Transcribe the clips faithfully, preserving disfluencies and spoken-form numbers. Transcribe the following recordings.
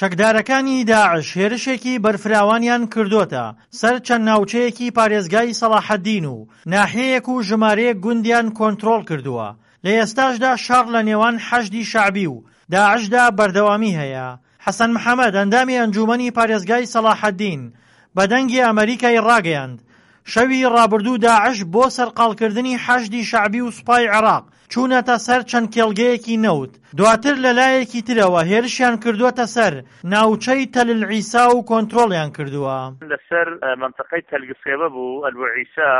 چەکدارەکانی داعش هێرشێکی بەرفراوانیان کردۆتە سەر چەند ناوچەیەکی پارێزگای سەڵاحەدین و ناحیەیەک و ژمارەیەک گوندیان کۆنترۆڵ کردووە. لە ئێستاشدا شەڕ لە نێوان حەشدی شەعبی و داعشدا بەردەوامی هەیە. حەسەن محەمەد، ئەندامی ئەنجومەنی پارێزگای سەڵاحەدین، بە دەنگی ئەمەریکای ڕاگەیاند، شەوی ڕابردوو داعش بۆ سەرقاڵکردنی حەشدی شەعبی و سوپای عێراق چوونەتە سەر چەند کێڵگەیەکی نەوت، دواتر لە لایەکی ترەوە هێرشیان کردووەتە سەر ناوچەی تەل عیسا و کۆنترۆڵیان کردووە. لەسەر مەنتەقەی تەل گسێبە بوو، ئەلبو عیسا،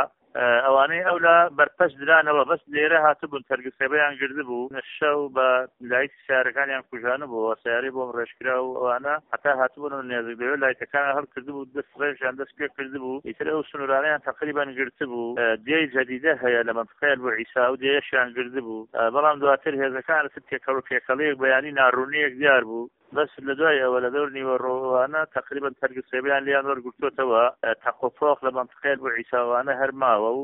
ئەوانەی ئەولا بەرپەرچ درانەوە، بەس لێرە هاتبوون تەل گسێبەیان گردبوو، شەو بە لایتی سەیارەکانیان کوژانبووەوە، سەیارەی بۆم ڕێژکرا و ئەوانە هەتا هاتبوون و نێزک لەوێ لایتەکانیان هەڵکردبوو، دەست ڕێژیان دەست پێ کردبوو، ئیتر ئەو سنوورانەیان تەقریبەن گرتبوو. دێی جەدیدە هەیە لە مەنتقەی ئەلبو عیسا، ئەو دێیەشیان گردبوو، بەڵام دواتر هێزەکان تر تێکەڵ و پێکەڵەیەک بەیانی ناڕوونیەک دیار بوو. بەس لە دوای ئەوە لە دەور نیوەڕۆوانە تەقریبەن تەرگسێبیان لیان وەرگرتووەتەوە، تەقۆپۆق لە مەنتقەی ئەلبو عیساوانە هەر ماوە و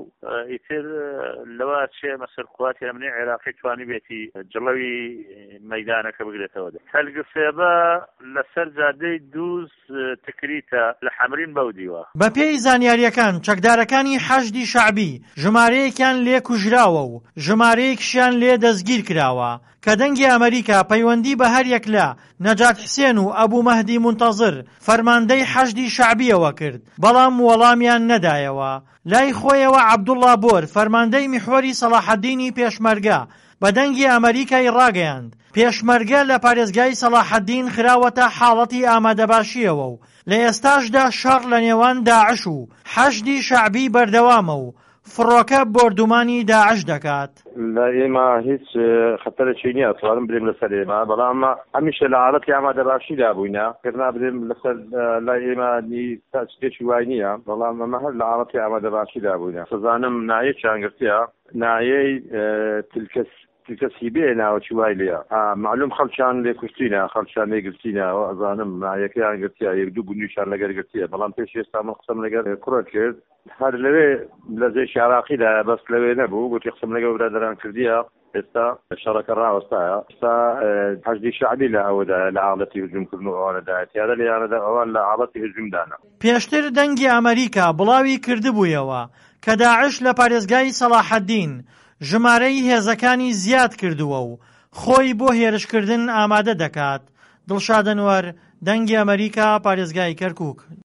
ئیتر لەوە چێ مەسەر قوواتی ئەمنی عێراقی توانیبێتی جڵەوی مەیدانەکە بگرێتەوە. تەلگسێبە لەسەر جادەی دووز تکریتە لە حەمرین بەو دیوە. بەپێی زانیارییەکان چەکدارەکانی حەشدی شەعبی ژمارەیەکیان لێ کوژراوە و ژمارەیەکیشیان لێ دەستگیر کراوە. کە دەنگی ئەمەریکا پەیوەندی بە هەریەک لە نەجات حسێن و ئەبو مەهدی مونتەزر فەرماندەی حەشدی شەعبیەوە کرد، بەڵام وەڵامیان نەدایەوە. لای خۆیەوە عەبدوڵڵا بۆر فەرماندەی میحوەری سەڵاحەدینی پێشمەرگە بە دەنگی ئەمەریکای ڕاگەیاند، پێشمەرگە لە پارێزگای سەڵاحەدین خراوەتە حاڵەتی ئامادەباشیەوە و لە ئێستاشدا شەڕ لە نێوان داعش و حەشدی شەعبی بەردەوامە و فڕۆکە بۆردومانی داعش دەکات. لە ئێمە هیچ خەتەرێکی نییە توانم برێم لەسەر ئێمە، بەڵام هەمیشە لە حاڵەتی ئامادەباشیدا بووینە، پێرنا برێم لەسەر لای ئێمە شتێکی وای نییە، بەڵام ئەمە هەر لە حاڵەتی ئامادەباشیدا بووینە. سەزانم نایەکیان گرتیە، نایەی تلکەس تلکەسی بێ ناوەکی وای لێیە، معلوم خەڵکیان لێ کوشتینە، خەڵکیان لێ گرتینە، ئەزانم نایەکەیان گرتیە، یەک دوو گوندیشیان لەگەر گرتیە، بەڵام پێش ئێستا من قسەم لەگەر کوڕە کرد، هەر لەوێ لە جێشی عراقیدایە، بەس لەوێ نەبوو، گوتی قسەم لەگەڵ برادەران کردیە، ئێستا شەڕەکە ڕاوەستایە، ئێستا حەشدی شەعبی لە ئەوەدایە، لە حاڵەتی هجوومکردن و ئەوانەدایە، تیارە لێیانەدا ئەوان لە حاڵەتی هجوومدانە. پێشتر دەنگی ئەمەریکا بڵاوی کردبوویەوە کە داعش لە پارێزگای سەڵاحەدین ژمارەی هێزەکانی زیاد کردووە و خۆی بۆ هێرشکردن ئامادە دەکات. دڵشاد ئەنوەر، دەنگی ئەمەریکا، پارێزگای کەرکووک.